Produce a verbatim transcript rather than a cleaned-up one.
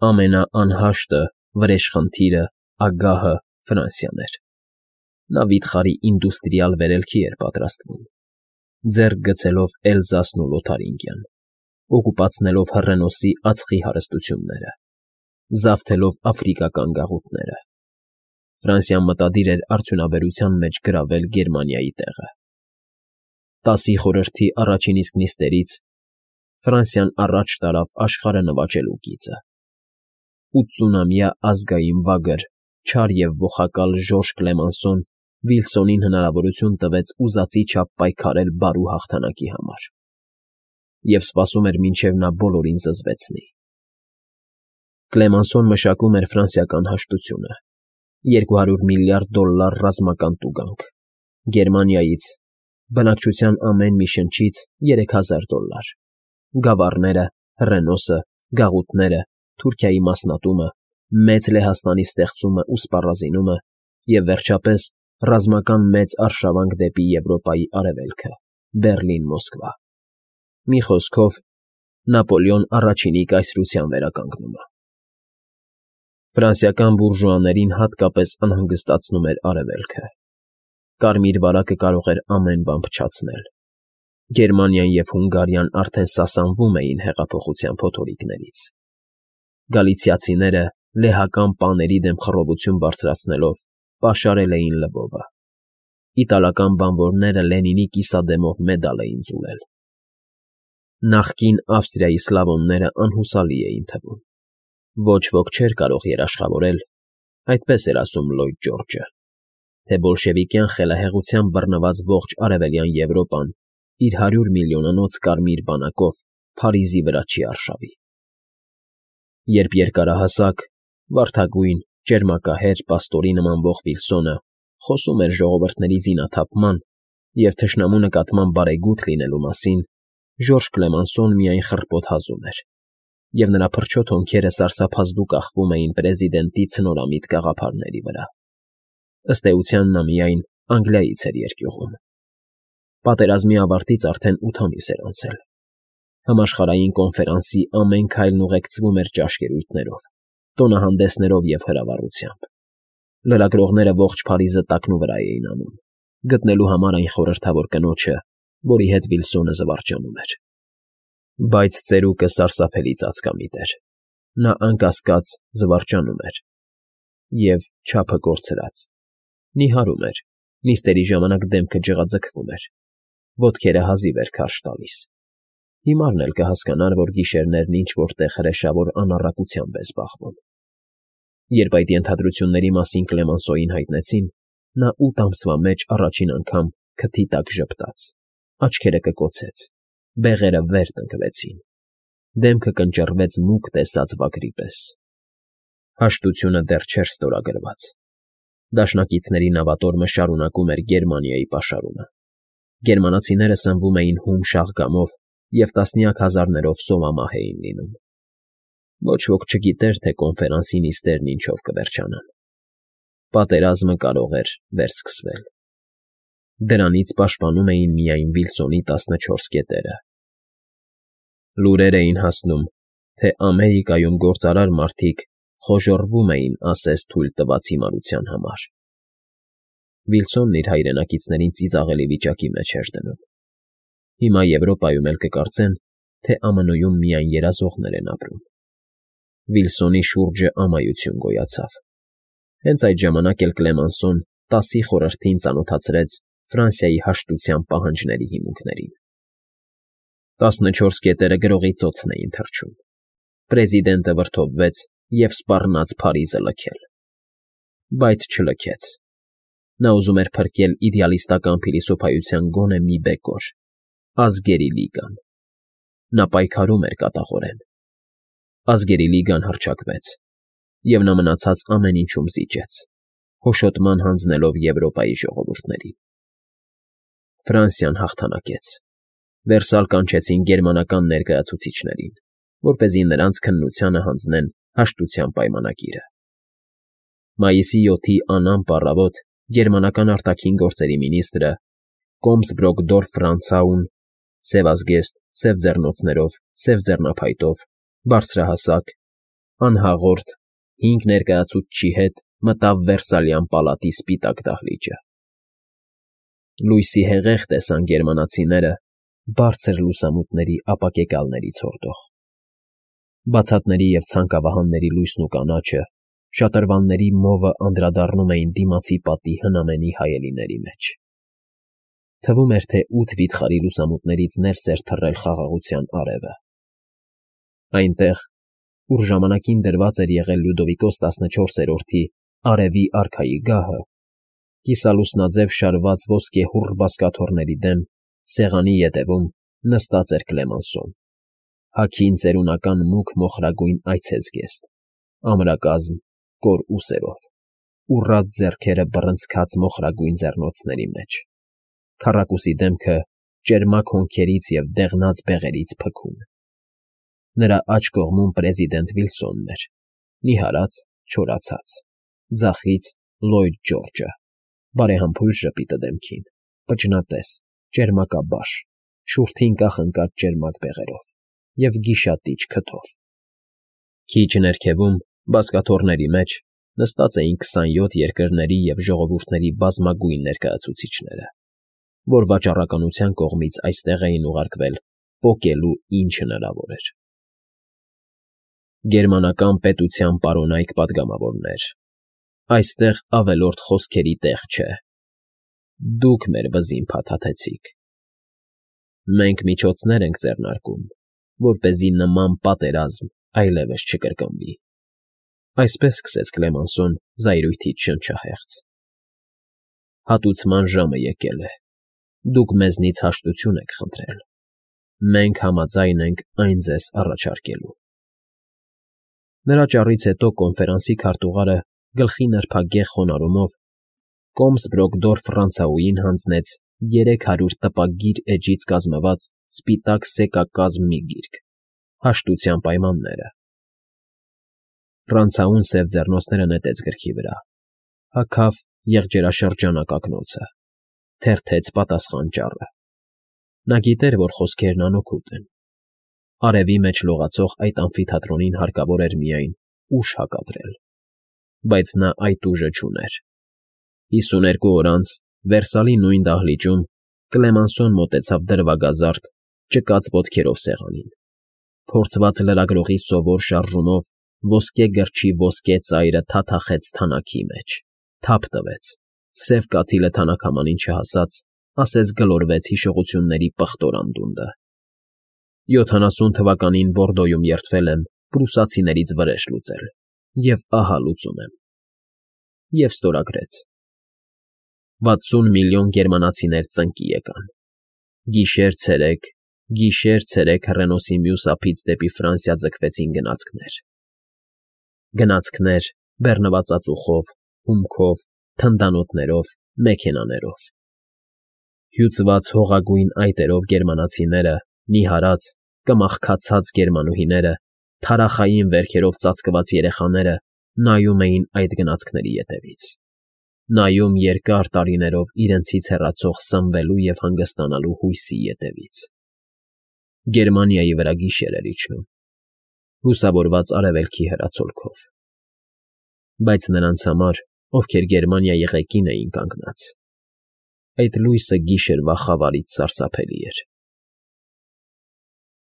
Ամենաանհաշտը, վրեժխնդիրը, ագահը Ֆրանսիան էր։ Նա վիթխարի ինդուստրիալ վերելքի էր պատրաստվում, ձեռք գցելով Էլզասն ու Լոթարինգիան, օկուպացնելով Հռենոսի ածխի հարստությունները, զավթելով աֆրիկական գաղութները։ Ֆրանսիան մտադիր էր արդյունաբերության մեջ գրավել Գերմանիայի տեղը։ Տասի խորհրդի առաջին իսկ նիստերից Ֆրանսիան առաջ տարավ աշխարհը նվաճելու գիծը։ Ութսունամյա ազգային վագր, չար և ողակալ Ժորժ Կլեմանսոն Վիլսոնին հնարավորություն տվեց ուզածի չափ պայքարել բարու հաղթանակի համար և սպասում էր, մինչև նա բոլորին զզվեցնի։ Կլեմանսոն մշակում էր ֆրանսիական հաշտությունը՝ երկու հարյուր միլիարդ դոլլար ռազմական տուգանք, Գերմանիայից՝ բնակչության ամեն մի շնչից երեք հազար դոլլար, գավառները, Հռենոսը, գաղութները, Թուրքիայի մասնատումը, Մեծ Լեհաստանի ստեղծումն ու սպառազինումը և, վերջապես, ռազմական մեծ արշավանք դեպի Եվրոպայի արևելքը՝ Բեռլին֊Մոսկվա։ Մի խոսքով, Նապոլեոն առաջինի կայսրության վերականգնումը։ Ֆրանսիական բուրժուաներին հատկապես անհանգստացնում էր արևելքը։ Կարմիր վարակը կարող էր ամեն բան փչացնել։ Գերմանիան և Հունգարիան արդեն սասանվում էին հեղափոխության փոթորիկներից։ Գալիցիացիները, լեհական պաների դեմ խռովություն բարձրացնելով, պաշարել էին Լվովը։ Իտալական բանվորները Լենինի կիսադեմով մեդալ էին ձուլել։ Նախկին Ավստրիայի սլավոնները անհուսալի էին թվում։ Ոչ ոք չէր կարող երաշխավորել, այդպես էր ասում Լլոյդ Ջորջը, թե բոլշևիկյան խելահեղությամբ բռնված ողջ արևելյան Եվրոպան իր հարյուր միլիոնանոց կարմիր բանակով Փարիզի վրա չի արշավի։ Երբ երկարահասակ, վարդագույն, ճերմակահեր պաստորի նմանվող Վիլսոնը խոսում էր ժողովրդների զինաթափման և թշնամու նկատմամբ բարեգութ լինելու մասին, Ժորժ Կլեմանսոն միայն խռպոտ հազում էր, և նրա փրչոտ հոնքերը սարսափազդու կախվում էին պրեզիդենտի ցնորամիտ գաղափարների վրա։ Ըստ էության նա միայն Անգլիայից էր երկյուղում։ Պատերազմի ավարտից արդեն ութ ամիս էր անցել։ Համաշխարհային կոնֆերանսի ամեն քայլն ուղեկցվում էր ճաշկերույթներով, տոնահանդեսներով և հրավառությամբ։ Լրագրողները ողջ Փարիզը տակնուվրա էին անում, գտնելու համար այն խորհրդավոր կնոջը, որի հետ Վիլսոնը զվարճանում էր։ Բայց ծերուկը սարսափելի ծածկամիտ էր։ Նա, անկասկած, զվարճանում էր և, չափը կորցրած, նիհարում էր, նիստերի ժամանակ դեմքը ջղաձգվում էր, ոտքերը հազիվ էր քարշ տալիս։ Հիմարն էլ կհասկանար, որ գիշերներն ինչ֊որ տեղ հրեշավոր անառակությամբ է զբաղվում։ Երբ այդ ենթադրությունների մասին Կլեմանսոյին հայտնեցին, նա ութ ամսվա մեջ առաջին անգամ քթի տակ ժպտաց, աչքերը կկոցեց, բեղերը վեր տնկվեցին, դեմքը կնճռվեց մուգ տեսած վագրի պես։ Հաշտությունը դեռ չէր ստորագրված։ Դաշնակիցների նավատորմը շարունակում էր Գերմանիայի պաշարումը։ Գերմանացիները սնվում էին հում շաղգամով և տասնյակ հազարներով սովամահ էին լինում։ Ոչ ոք չգիտեր, թե կոնֆերանսի նիստերն ինչով կվերջանան։ Պատերազմը կարող էր վերսկսվել։ Դրանից պաշտպանում էին միայն Վիլսոնի տասնչորս կետերը։ Լուրեր էին հասնում, թե Ամերիկայում գործարար մարդիկ խոժոռվում էին ասես թույլ տված հիմարության համար։ Վիլսոնն իր հայրենակիցներին ծիծաղելի վիճակի մեջ էր դնում։ Հիմա Եվրոպայում էլ կկարծեն, թե Ամն Օ-ում միայն երազողներ են ապրում։ Վիլսոնի շուրջը ամայություն գոյացավ։ Հենց այդ ժամանակ էլ Կլեմանսոն տասի խորհրդին ծանոթացրեց Ֆրանսիայի հաշտության պահանջների հիմունքներին։ Տասնչորս կետերը գրողի ծոցն էին թռչում։ Պրեզիդենտը վրդովվեց և սպառնաց Փարիզը լքել։ Բայց չլքեց։ Նա ուզում էր փրկել իդեալիստական փիլիսոփայության գոնե մի բեկոր՝ Ազգերի լիգան։ Նա պայքարում էր կատաղորեն։ Ազգերի լիգան հռչակվեց, և նա մնացած ամեն ինչում զիջեց, հոշոտման հանձնելով Եվրոպայի ժողովուրդներին։ Ֆրանսիան հաղթանակեց։ Վերսալ կանչեցին գերմանական ներկայացուցիչներին, որպեսզի նրանց քննությանը հանձնեն հաշտության պայմանագիրը։ Մայիսի յոթի անամպ առավոտ գերմանական արտաքին գործերի մինիստրը Կոմսբրոկդորֆ֊Ֆրանցաուն, սևազգեստ, սև ձեռնոցներով, սև ձեռնափայտով, բարձրահասակ, անհաղորդ, հինգ ներկայացուցչի հետ մտավ Վերսալյան պալատի սպիտակ դահլիճը։ Լույսի հեղեղ տեսան գերմանացիները բարձր լուսամուտների ապակեկալներից հորդող։ Բացատների և ցանկավահանների լույսն ու կանաչը, շատրվանների մովը անդրադառնում էին դիմացի պատի հնամենի հայելիների մեջ։ Թվում էր, թե ութ վիթխարի լուսամուտներից ներս էր թռել խաղաղության արևը։ Այնտեղ, ուր ժամանակին դրված էր եղել Լյուդովիկոս տասնչորսերորդի արևի արքայի գահը, կիսալուսնաձև շարված ոսկեհուռ բազկաթոռների դեմ, սեղանի ետևում նստած էր Կլեմանսոն, հագին ծերունական մուգ մոխրագույն այցեզգեստ, ամրակազմ, կոր ուսերով, ուռած ձեռքերը բռնցքած մոխրագույն ձեռնոցների մեջ, քառակուսի դեմքը ճերմակ հոնքերից և դեղնած բեղերից փքուն։ Նրա աջ կողմում պրեզիդենտ Վիլսոնն էր, նիհարած, չորացած, ձախից Լլոյդ Ջորջը, բարեհամբույր ժպիտը դեմքին, պճնատես, ճերմակաբաշ, շուրթին կախնկած ճերմակ բեղերով և գիշատիչ քթով։ Քիչ ներքևում, բազկաթոռների մեջ, նստած էին քսանյոթ երկրների և ժողովուրդների բազմագույն ներկայացուցիչները, որ վաճառականության կողմից այստեղ էին ուղարկվել պոկելու ինչ հնարավոր էր։ Գերմանական պետության պարոնայք պատգամավորներ, այստեղ ավելորդ խոսքերի տեղ չէ։ Դուք մեր վզին փաթաթեցիք։ Մենք միջոցներ ենք ձեռնարկում, որպեսզի նման պատերազմ այլևս չկրկնվի։ Այսպես սկսեց Կլեմանսոն զայրույթից շնչահեղձ։ Հատուցման ժամը եկել է։ Դուք մեզնից հաշտություն եք խնդրել։ Մենք համաձայն ենք այն ձեզ առաջարկելու։ Նրա ճառից հետո կոնֆերանսի քարտուղարը գլխի նրբագեղ խոնարհումով Կոմսբրոկդորֆ Ռանցաուին հանձնեց երեք հարյուր տպագիր էջից կազմված սպիտակ սեկակազմ մի գիրք, հաշտության պայմանները։ Ռանցաուն սև ձեռնոցները նետեց գրքի վրա, հագավ եղջերաշրջանակ ակնոցը, թերթեց պատասխան ճառը։ Նա գիտեր, որ խոսքերն անօգուտ են։ Արևի մեջ լողացող այդ ամֆիթատրոնին հարկավոր էր միայն ուժ հակադրել, բայց նա այդ ուժը չուներ։ Հիսուներկու օր անց Վերսալի նույն դահլիճում Կլեմանսոն մոտեցավ դրվագազարդ, ճկած ոտքերով սեղանին, փորձված լրագրողի սովոր շարժումով ոսկե գրչի ոսկե ծայրը թաթախեց թանաքի մեջ, թափ տվեց, սև կաթիլը թանաքամանին չհասած, ասես գլորվեց հիշողությունների պղտոր անդունդը։ Յոթանասուն թվականին Բորդոյում երդվել եմ պրուսացիներից վրեժ լուծել, և ահա լուծում եմ։ Եվ ստորագրեց. վաթսուն միլիոն գերմանացիներ ծնկի եկան։ Գիշեր֊ցերեկ, գիշեր֊ցերեկ հռենոսի մյուս ափից դեպի Ֆրանսիա ձգվեցին գնացքներ։ Գնացքներ բեռնված ածուխով, հումքով, թնդանոթներով, մեքենաներով։ Հյուծված հողագույն այտերով գերմանացիները, նիհարած, կմախքացած գերմանուհիները, թարախային վերքերով ծածկված երեխաները նայում էին այդ գնացքների ետևից, նայում երկար տարիներով իրենցից հեռացող սնվելու և հանգստանալու հույսի ետևից։ Գերմանիայի վրա գիշեր էր իջնում, լուսավորված արևելքի հեռացոլքով։ Բայց նրանց համար, ովքեր Գերմանիայի ղեկին էին կանգնած, այդ լույսը գիշերվա խավարից սարսափելի էր։